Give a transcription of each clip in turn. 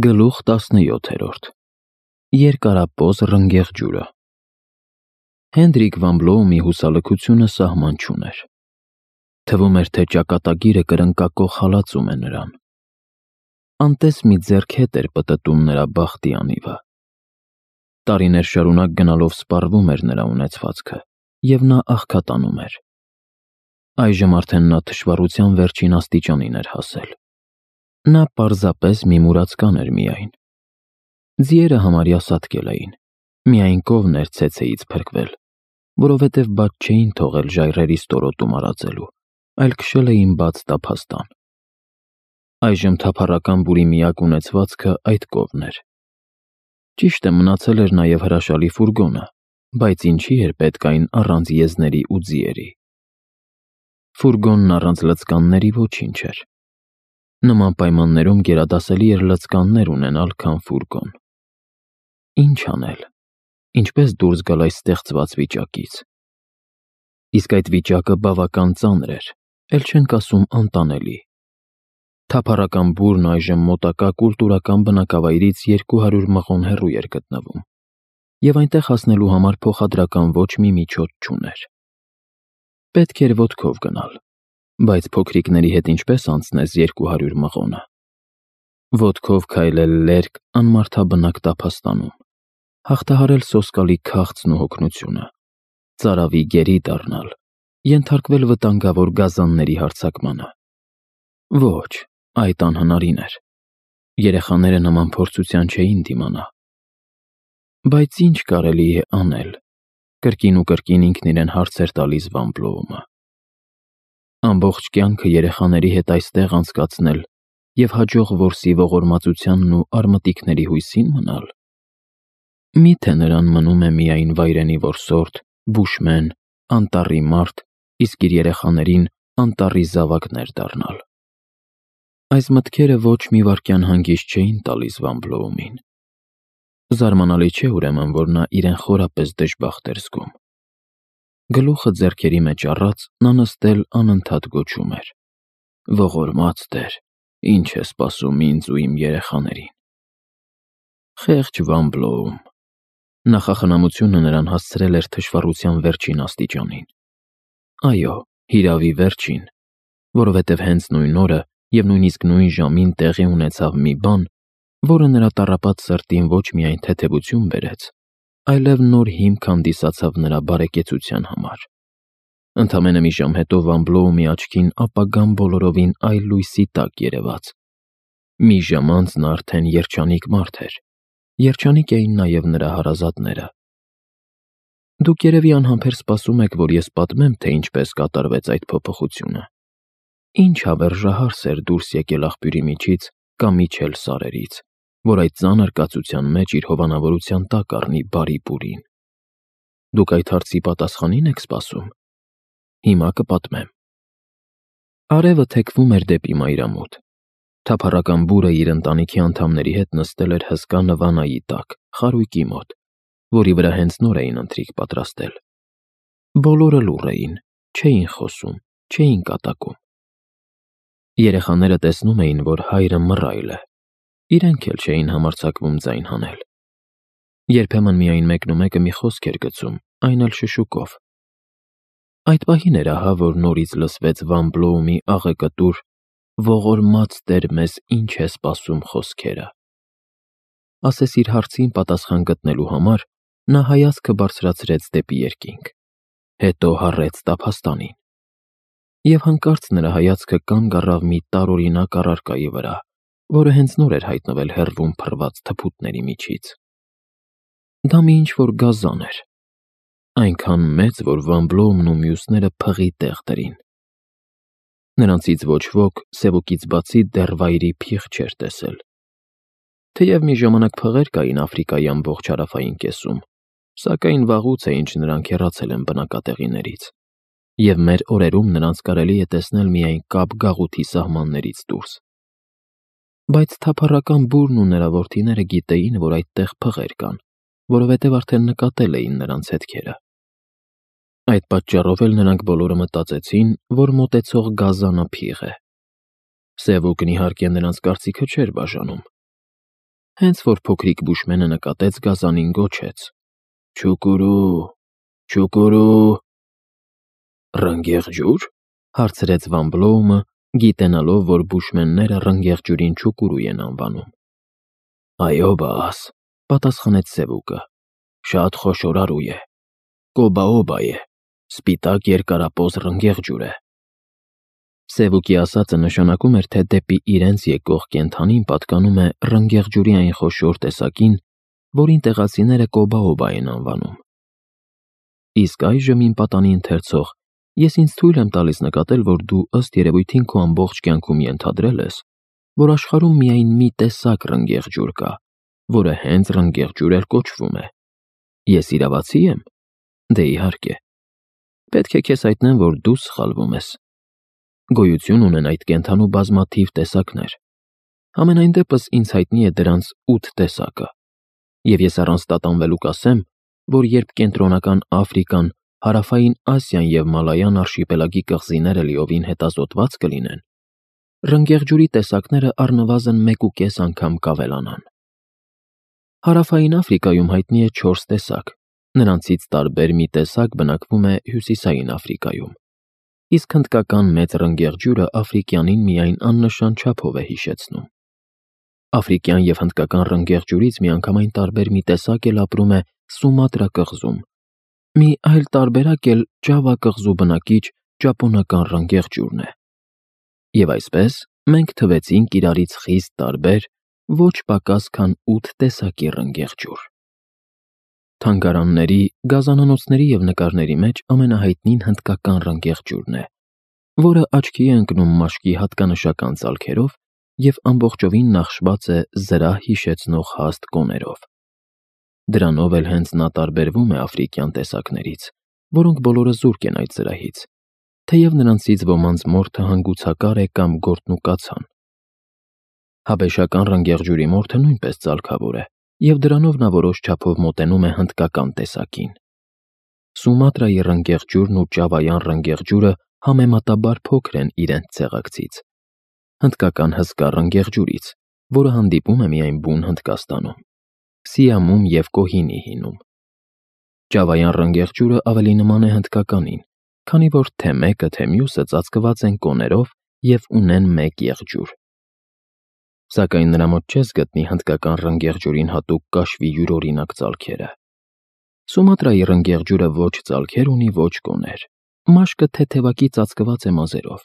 Գլուխ 17 Երկարապոզ ռնգեղ ջուրը Հենրիկ Վան Բլոումի հուսալքությունը սահման չուներ. թվում էր, թե ճակատագիրը կրնկակող հալածում է նրան. անտես մի ձեռք հետ էր պտտում նրա բախտի անիվը. տարիներ շարունակ գնալով սպառվում էր նրա ունեցվածքը, և նա աղքատանում էր. այժմ արդեն նա թշվառության վերջին աստիճանին էր հասել. նա պարզապես մի մուրացկան էր միայն. ձիերը համարյա սատկել էին, միայն կովն էր ցեցեից փրկվել, որովհետև բաց չէին թողել ժայռերի ստորոտում արածելու, այլ քշել էին բաց տափաստան. այժմ թափառական բուրի միակ ունեցվածքը այդ կովն էր. ճիշտ է, մնացել էր նաև հրաշալի ֆուրգոնը, բայց ինչի էր պետք այն առանց եզների ու ձիերի. ֆուրգոնն առանց լծկանների ոչինչ էր. նման պայմաններում գերադասելի էր լծկաններ ունենալ, քան ֆուրգոն. Ինչ անել, ինչպես դուրս գալ այս ստեղծված վիճակից: Իսկ այդ վիճակը բավական ծանր էր, էլ չենք ասում անտանելի. թափառական բուրն այժմ մոտակա կուլտուրական բնակավայրից 200 մղոն հեռու էր գտնվում, և այնտեղ հասնելու համար փոխադրական ոչ մի միջոց չուներ. պետք էր ոտքով գնալ, բայց փոքրիկների հետ ինչպես անցնես 200 մղոնը: Ոտքով քայլել լերկ անմարդաբնակ տափաստանում, հաղթահարել սոսկալի քաղցն ու հոգնությունը, ծարավի գերի դառնալ, ենթարկվել վտանգավոր գազանների հարձակմանը: Ոչ, այդ անհնարին էր. երեխաները նման փորձության չէին դիմանա: Բայց ինչ կարելի է անել, կրկին ու կրկին ինքն իրեն հարց էր տալիս Վան Բլոումը: Ամբողջ կյանքը երեխաների հետ այստեղ անցկացնել և հաջող որսի ողորմածությանն ու արմատիքների հույսի՞ն մնալ: Մի՞թե նրան մնում է միայն վայրենի որսորդ, բուշմեն, անտառի մարդ, իսկ իր երեխաներին անտառի զավակներ դառնալ: Այս մտքերը ոչ մի վայրկյան հանգիստ չէին տալիս Վան Բլոումին: Զարմանալի չէ, ուրեմն, որ նա իրեն խորապես դժբախտ էր զգում: Գլուխը ձեռքերի մեջ առած, նա նստել անընդհատ գոչում էր. ողորմած Տեր, ինչ է սպասում ինձ ու իմ երեխաներին: Խեղճ Վան Բլոում: Նախախնամությունը նրան հասցրել էր թշվառության վերջին աստիճանին: Այո, հիրավի վերջին, որովհետև հենց նույն օրը և նույնիսկ նույն ժամին տեղի ունեցավ մի բան, որը նրա տառապած սրտին ոչ միայն թեթևություն բերեց, այլև նոր հիմք հանդիսացավ նրա բարեկեցության համար: Ընդամենը մի ժամ հետո Վան Բլոումի աչքին ապագան բոլորովին այլ լույսի տակ երևաց: Մի ժամ անց նա արդեն երջանիկ մարդ էր, երջանիկ էին նաև նրա հարազատները: Դուք երևի անհամբեր սպասում եք, որ ես պատմեմ, թե ինչպես կատարվեց այդ փոփոխությունը: Ինչ հավերժահարս էր դուրս եկել աղբյուրի միջից կամ իջել սարերից, որ այդ ծանր կացության մեջ իր հովանավորության տակ առնի բարի բուրին: Դուք այդ հարցի պատասխանի՞ն եք սպասում: Հիմա կպատմեմ: Արևը թեքվում էր դեպի մայրամուտ: Թափառական բուրը իր ընտանիքի անդամների հետ նստել էր հսկա նվանայի տակ, խարույկի մոտ, որի վրա հենց նոր էին ընթրիք պատրաստել: Բոլորը լուռ էին, չէին խոսում, չէին կատակում: Երեխաները տեսնում էին, որ հայրը մռայլ է, իրենք էլ չէին համարձակվում ձայն հանել: Երբեմն միայն մեկնումեկը մի խոսք էր գցում, այն էլ շշուկով: Այդ պահին էր ահա, որ նորից լսվեց Վան Բլոումի աղեկտուր «Ողորմած Տեր, մեզ ինչ է սպասում» խոսքերը: Ասես իր հարցին պատասխան գտնելու համար, նա հայացքը բարձրացրեց դեպի երկինք, հետո հառեց տափաստանին: Եվ հանկարծ նրա հայացքը կանգ առավ մի տարօրինակ առարկայի վրա, որը հենց նոր էր հայտնվել հեռվում փռված թփուտների միջից: Դա մի ինչ-որ գազան էր, այնքան մեծ, որ Վան Բլոումն ու մյուսները փղի տեղ դրին: Նրանցից ոչ ոք, սևուկից բացի, դեռ վայրի փիղ չէր տեսել: Թեև մի ժամանակ փղեր կային Աֆրիկայի ամբողջ հարավային կեսում, սակայն վաղուց է ինչ նրանք հեռացել են բնակատեղիներից, և մեր օրերում նրանց կարելի է տեսնել միայն Կապ գաղութի սահմաններից դուրս: Բայց թափառական բուրն ու նրա որդիները գիտեին, որ այդտեղ փղեր կան, որովհետև արդեն նկատել էին նրանց հետքերը: Այդ պատճառով էլ նրանք բոլորը մտածեցին, որ մոտեցող գազանը փիղ է: Սևուկն իհարկե նրանց կարծիքը չէր բաժանում: Հենց որ փոքրիկ բուշմենը նկատեց, գազանին գոչեց. «Չուկուրու, չուկուրու»։ «Ռնգեղ ջուր»։ Հարցրեց Վան Բլոումը, գիտենալով, որ բուշմենները ռնգեղ ջուրին չուկուրու են անվանում։ «Այո, բաս», պատասխանեց Սևուկը։ «Շատ խոշորարու է։ Կոբաոբա է, սպիտակ երկարապոզ ռնգեղ ջուր է»։ Սևուկի ասածը նշանակում էր, թե դեպի իրենց եկող կենդանին պատկանում է ռնգեղ ջուրի այն խոշոր տեսակին, որին տեղացիները կոբաոբա են անվանում։ Իսկ այժմ, իմ պատանի ընթերցող, ես ինձ թույլ եմ տալիս նկատել, որ դու ըստ երևույթին քո ամբողջ կյանքում ենթադրել ես, որ աշխարհում միայն մի տեսակ ռնգեղ ջուր կա, որը հենց ռնգեղ ջուր էլ կոչվում է։ Ես իրավացի եմ։ Դե իհարկե։ Պետք է քեզ հայտնեմ, որ դու սխալվում ես։ Գոյություն ունեն այդ կենդանու բազմաթիվ տեսակներ։ Համենայն դեպս ինձ հայտնի է դրանց 8 տեսակը։ Եվ ես առանց տատանվելու կասեմ, որ երբ կենտրոնական Աֆրիկան, Հարավային Ասիան և Մալայան արշիպելագի կղզիները լիովին հետազոտված կլինեն, ռնգեղ ջուրի տեսակները առնվազն 1.5 անգամ կավելանան։ Հարավային Աֆրիկայում հայտնի է 4 տեսակ, նրանցից տարբեր մի տեսակ բնակվում է Հյուսիսային Աֆրիկայում, իսկ հնդկական մեծ ռնգեղ ջուրը աֆրիկյանին միայն աննշան չափով է հիշեցնում։ Աֆրիկյան և հնդկական ռնգեղ ջուրից միանգամայն տարբեր մի տեսակ էլ ապրում է Սումատրա կղզում, մի այլ տարբերակ էլ Ջավա կղզու բնակիչ ճապոնական ռնգեղ ջուրն է։ Եվ այսպես, մենք թվեցինք իրարից խիստ տարբեր, ոչ պակաս քան 8 տեսակի ռնգեղ ջուր։ Թանգարանների, գազանանոցների և նկարների մեջ ամենահայտնին հնդկական ռնգեղ ջուրն է, որը աչքի է ընկնում մաշկի հատկանշական ծալքերով և ամբողջովին նախշված է զրահ հիշեցնող հաստ կոներով։ Դրանով էլ հենց նա տարբերվում է աֆրիկյան տեսակներից, որոնք բոլորը զուրկ են այդ զրահից, թեև նրանցից ոմանց մորթը հանգուցակար է կամ գործնուկացան։ Հաբեշական ռնգեղ ջուրի մորթը նույնպես ծալքավոր է, և դրանով նա որոշ չափով մոտենում է հնդկական տեսակին։ Սումատրայի ռնգեղ ջուրն ու Ճավայան ռնգեղ ջուրը համեմատաբար փոքր են իրենց ցեղակցից, հնդկական հսկա ռնգեղ ջուրից, որը հանդիպում է միայն բուն Հնդկաստանում, Սիամում և Կոհինի հինում։ Ճավայան ռնգեղ ջուրը ավելի նման է հնդկականին, քանի որ թե մեկը, թե մյուսը ծածկված են կոներով և ունեն մեկ եղջյուր։ Սակայն նրա մոտ չես գտնի հնդկական ռնգեղ ջուրին հատուկ կաշվի յուրօրինակ ծալքերը։ Սումատրայի ռնգեղ ջուրը ոչ ծալքեր ունի, ոչ կոներ։ Մաշկը թեթևակի ծածկված է մազերով,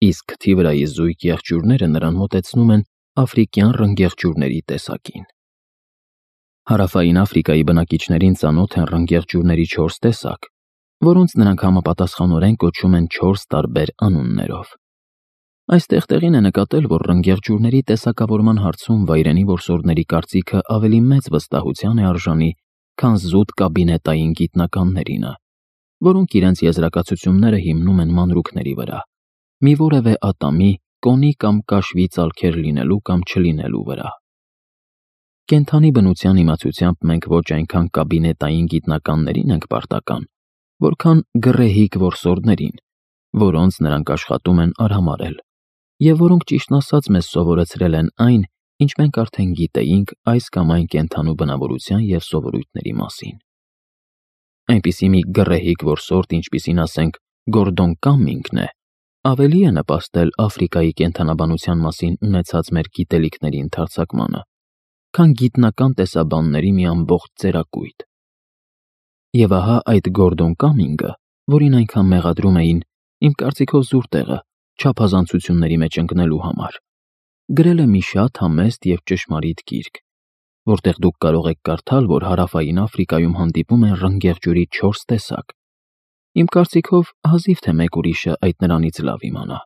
իսկ քթի վրայի զույգ եղջյուրները նրան մոտեցնում են աֆրիկյան ռնգեղ ջուրների տեսակին։ Հարավային Աֆրիկայի բնակիչներին ծանոթ են ռնգեղ ջուրների 4 տեսակ, որոնց նրանք համապատասխանորեն կոչում են 4 տարբեր անուններով։ Այստեղ տեղին է նկատել, որ ռնգեղ ջուրների տեսակավորման հարցում վայրենի որսորդների կարծիքը ավելի մեծ վստահության է արժանի, քան զուտ կաբինետային գիտնականներինը, որոնք իրենց եզրակացությունները հիմնում են մանրուքների վրա, մի որևէ ատամի, կոնի կամ կաշվի ծալքեր լինելու կամ չլինելու վրա։ Կենդանի բնության իմացությամբ մենք ոչ այնքան կաբինետային գիտնականներին ենք պարտական, որքան գռեհիկ որսորդներին, որոնց նրանք աշխատում են արհամարհել, և որոնք ճիշտն ասած մեզ սովորեցրել են այն, ինչ մենք արդեն գիտեինք այս կամ այն կենդանու բնավորության և սովորույթների մասին։ Այնպիսի մի գռեհիկ որսորդ, ինչպիսին ասենք Գորդոն Կամմինգն է, ավելի է նպաստել Աֆրիկայի կենդանաբանության մասին ունեցած մեր գիտելիքների ընդարձակմանը, քան գիտնական տեսաբանների մի ամբողջ ծերակույտ։ Եվ ահա այդ Գորդոն Կամմինգը, որին այնքան մեղադրում էին, իմ կարծիքով զուր տեղը, չափազանցությունների մեջ ընկնելու համար, գրել է մի շատ համեստ և ճշմարիտ գիրք, որտեղ դուք կարող եք կարդալ, որ Հարավային Աֆրիկայում հանդիպում են ռնգեղ ջուրի 4 տեսակ։ Իմ կարծիքով հազիվ թե մեկ ուրիշը այդ նրանից լավ իմանա։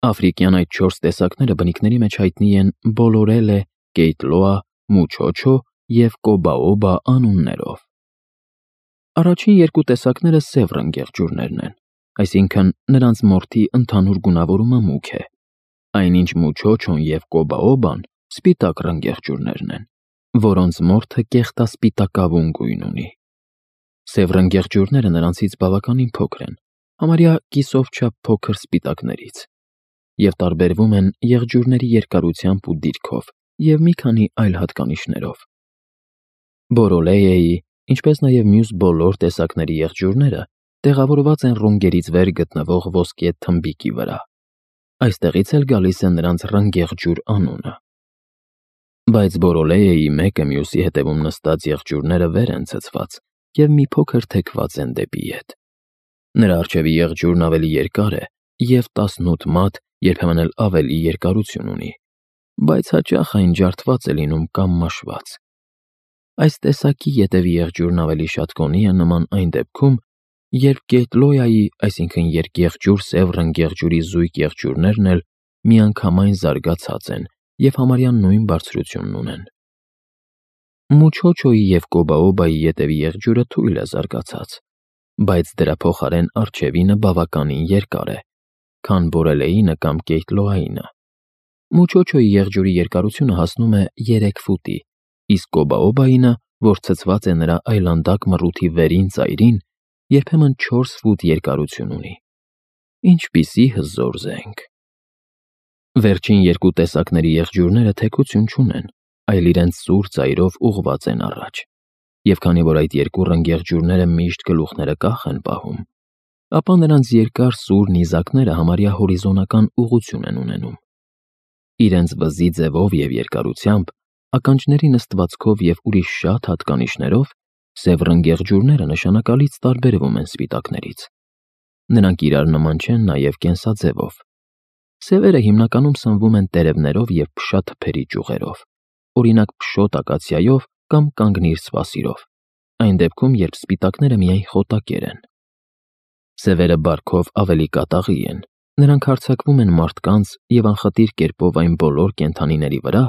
Աֆրիկյան այդ 4 տեսակները բնիկների մեջ հայտնի են Բոլորելե, Կեյտլոա, Մուչոչո և Կոբաոբա անուններով։ Առաջին 2 տեսակները սև ռնգեղ ջուրներն են, այսինքն նրանց մորթի ընդհանուր գունավորումը մուգ է, այնինչ Մուչոչոն և Կոբաոբան սպիտակ ռնգեղ ջուրներն են, որոնց մորթը կեղտասպիտակավուն գույն ունի։ Սև ռնգեղ ջուրները նրանցից բավականին փոքր են, համարյա կիսով չափ փոքր սպիտակներից, և տարբերվում են եղջյուրների երկարությամբ ու դիրքով, և մի քանի այլ հատկանիշներով։ Բորոլեյեի, ինչպես նաև մյուս բոլոր տեսակների եղջյուրները տեղավորված են ռունգերից վեր գտնվող ոսկե թմբիկի վրա։ Այստեղից էլ գալիս է նրանց ռնգեղջյուր անունը։ Բայց Բորոլեյեի մեկը մյուսի հետևում նստած եղջյուրները վեր են ցցված և մի փոքր թեքված են դեպի ետ։ Նրա առջևի եղջյուրն ավելի երկար է և 18 մատ, երբեմն էլ ավելի երկարություն ունի, բայց հաճախ այն ջարդված է լինում կամ մաշված։ Այս տեսակի ետևի եղջյուրն ավելի շատ կոնի է նման այն դեպքում, երբ գեյթլոյայի, այսինքն երկեղջյուր սև ռնգեղջյուրի զույգ եղջյուրներն էլ միանգամայն զարգացած են և համարյա նույն բարձրությունն ունեն։ Մուչոչոյի և կոբաոբայի ետևի եղջյուրը թույլ է զարգացած, բայց դրա փոխարեն առջևինը բավականին երկար է, քան Բորելեինը կամ Կեյթլոայինը։ Մուչոչոյի եղջյուրի երկարությունը հասնում է 3 ֆուտի, իսկ կոբաոբայինը, որ ցցված է նրա այլանդակ մռութի վերին ծայրին, երբեմն 4 ֆուտ երկարություն ունի։ Ինչպիսի հզոր զենք։ Վերջին երկու տեսակների եղջյուրները թեքություն չունեն, այլ իրենց սուր ծայրով ուղղված են առաջ, և քանի որ այդ երկու ռնգեղջյուրները միշտ գլուխները կախ են պահում, ապա նրանց երկար սուր նիզակները համարյա հորիզոնական ուղղություն են ունենում։ Իրենց վզի ձևով և երկարությամբ, ականջների նստվածքով և ուրիշ շատ հատկանիշներով սև ռնգեղջյուրները նշանակալից տարբերվում են սպիտակներից։ Նրանք իրար նման չեն նաև կենսաձևով։ Սևերը հիմնականում սնվում են տերևներով և փշաթփերի ճյուղերով, օրինակ փշոտ ակացիայով կամ կանգնիր սպասիրով, այն դեպքում, երբ սպիտակները միայն խոտակեր են։ Սևերը բարքով ավելի կատաղի են, նրանք հարձակվում են մարդկանց և անխտիր կերպով այն բոլոր կենդանիների վրա,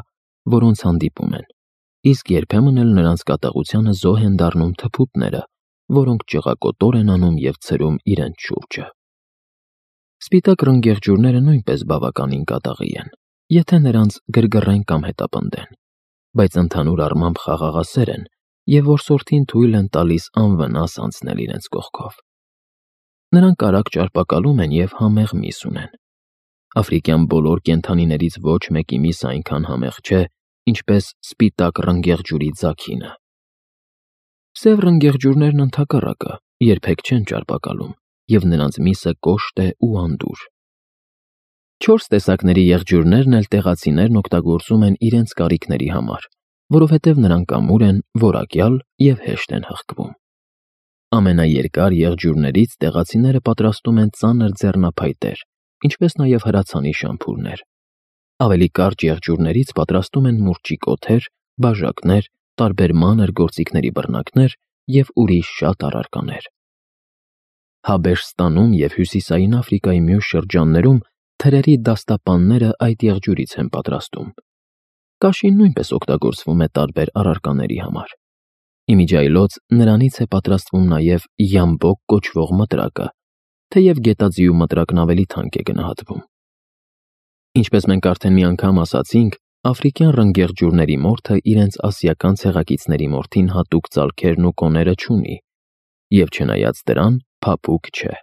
որոնց հանդիպում են, իսկ երբեմն էլ նրանց կատաղությանը զոհ են դառնում թփուտները, որոնք ճղակոտոր են անում և ցրում իրենց շուրջը։ Սպիտակ ռնգեղջյուրները նույնպես բավականին կատաղի են, եթե նրանց գրգռեն կամ հետապնդեն, բայց ընդհանուր առմամբ խաղաղասեր են և որսորդին թույլ են տալիս անվնաս անցնել իրենց կողքով։ Նրանք արագ ճարպակալում են և համեղ միս ունեն։ Աֆրիկյան բոլոր կենդանիներից ոչ մեկի միսը այնքան համեղ չէ, ինչպես սպիտակ ռնգեղջյուրի ձագինը։ Սև ռնգեղջյուրներն ընդհակառակը երբեք չեն ճարպակալում, և նրանց միսը կոշտ է ու անդուր։ 4 տեսակների եղջյուրներն էլ տեղացիներն օգտագործում են իրենց կարիքների համար, որովհետև նրանք ամուր են, որակյալ և հեշտ են հղկվում։ Ամենաերկար եղջյուրներից տեղացիները պատրաստում են ծանր ձեռնափայտեր, ինչպես նաև հրացանի շամփուրներ։ Ավելի կարճ եղջյուրներից պատրաստում են մուրճի կոթեր, բաժակներ, տարբեր մանր գործիքների բռնակներ և ուրիշ շատ առարկաներ։ Հաբեշստանում և Հյուսիսային Աֆրիկայի մյուս շրջաններում թրերի դաստապանները այդ եղջյուրից են պատրաստում։ Կաշին նույնպես օգտագործվում է տարբեր առարկաների համար։ Իմիջիայլոց նրանից է պատրաստվում նաև յամբոկ կոչվող մտրակը, թեև գետաձիու մտրակն ավելի թանկ է գնահատվում։ Ինչպես մենք արդեն մի անգամ ասացինք, աֆրիկյան ռնգեղջյուրների մորթը իրենց ասիական ցեղակիցների մորթին հատուկ ծալքերն ու կոները չունի, և չնայած դրան, փափուկ չէ։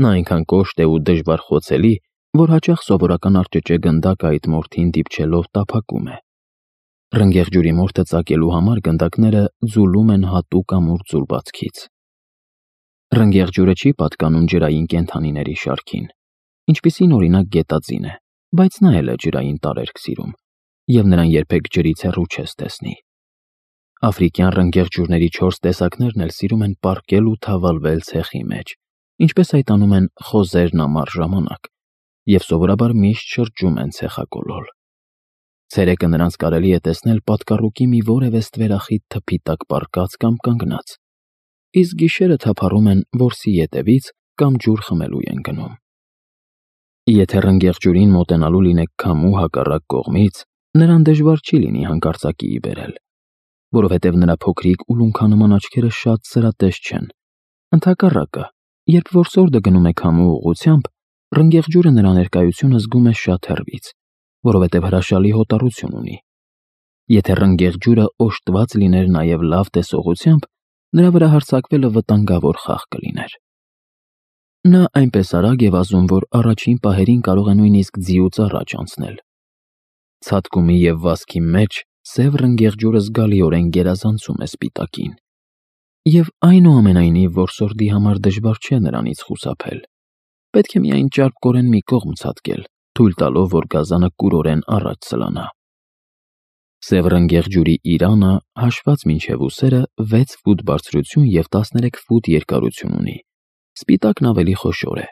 Նա այնքան կոշտ է ու դժվար խոցելի, որ հաճախ սովորական արճճե գնդակը այդ մորթին դիպչելով տափակում է։ Ռնգեղջյուրի մորթը ծակելու համար գնդակները ձուլում են հատուկ ամուր ձուլվածքից։ Ռնգեղջյուրը չի պատկանում ջրային կենդանիների շարքին, ինչպիսին օրինակ գետաձին է, բայց նա էլ է ջրային տարերք սիրում, և նրան երբեք ջրից հեռու չես տեսնի։ Աֆրիկյան ռնգեղջյուրների 4 տեսակներն էլ սիրում են պառկել ու թավալվել ցեխի մեջ, ինչպես այդ անում են խոզերն ամառ ժամանակ, և սովորաբար միշտ շրջում են ցեխակոլոլ։ Ցերեկը նրանց կարելի է տեսնել պատկառուկի մի որևէ ստվերախիտ թփի տակ պառկած կամ կանգնած, իսկ գիշերը թափառում են որսի ետևից կամ ջուր խմելու են գնում։ Եթե ռնգեղջյուրին մոտենալու լինեք քամու հակառակ կողմից, նրան դժվար չի լինի հանկարծակիի բերել, որովհետև նրա փոքրիկ ու լունքանման աչքերը շատ սրատես չեն։ Ընդհակառակը, երբ որսորդը գնում է քամու ուղղությամբ, ռնգեղջյուրը նրա ներկայությունը զգում է շատ հեռվից, որովհետև հրաշալի հոտառություն ունի։ Եթե ռնգեղջյուրը օժտված լիներ նաև լավ տեսողությամբ, նրա վրա հարձակվելը վտանգավոր խաղ կլիներ։ Նա այնպես արագ է վազում, որ առաջին պահերին կարող է նույնիսկ ձիուց առաջ անցնել։ Ցատկումի և վազքի մեջ սև ռնգեղ ջուրը զգալիորեն գերազանցում է սպիտակին։ Եվ այնուամենայնիվ որսորդի համար դժվար չէ նրանից խուսափել։ Պետք է միայն ճարպկորեն մի կողմ ցատկել, թույլ տալով, որ գազանը կուրորեն առաջ սլանա։ Սև ռնգեղ ջուրի իրանը, հաշված մինչև ուսերը, 6 ֆուտ բարձրություն և 13 ֆուտ երկարություն ունի։ Սպիտակն ավելի խոշոր է։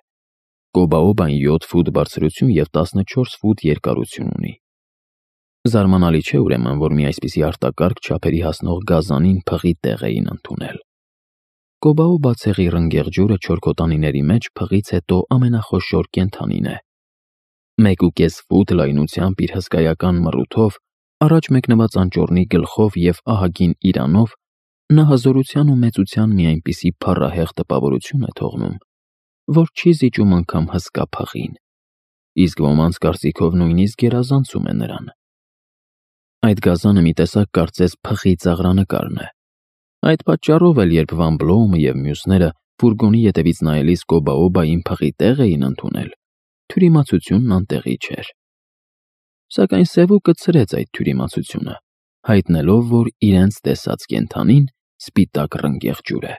Կոբաոբան 7 ֆուտ բարձրություն և 14 ֆուտ երկարություն ունի։ Զարմանալի չէ ուրեմն, որ մի այսպիսի արտակարգ չափերի հասնող գազանին փղի տեղ էին ընդունել։ Կոբաոբա ցեղի ռնգեղ ջուրը չորքոտանիների մեջ փղից հետո ամենախոշոր կենդանին է։ 1.5 ֆուտ լայնությամբ իր հսկայական մռութով, առաջ մեկնված անճոռնի գլխով և ահագին իրանով նա հզորության ու մեծության մի այնպիսի փառահեղ տպավորություն է թողնում, որ չի զիջում անգամ հսկա փղին, իսկ ոմանց կարծիքով նույնիսկ գերազանցում է նրան։ Այդ գազանը մի տեսակ կարծես փղի ծաղրանկարն է։ Այդ պատճառով էլ երբ Վան Բլոումը և մյուսները ֆուրգոնի ետևից նայելիս Կոբաոբային փղի տեղ էին ընդունել, թյուրիմացությունն անտեղի չէր։ Սակայն Սևուկը ցրեց այդ թյուրիմացությունը, հայտնելով, որ իրենց տեսած կենդանին սպիտակ ռնգեղ ջուր է։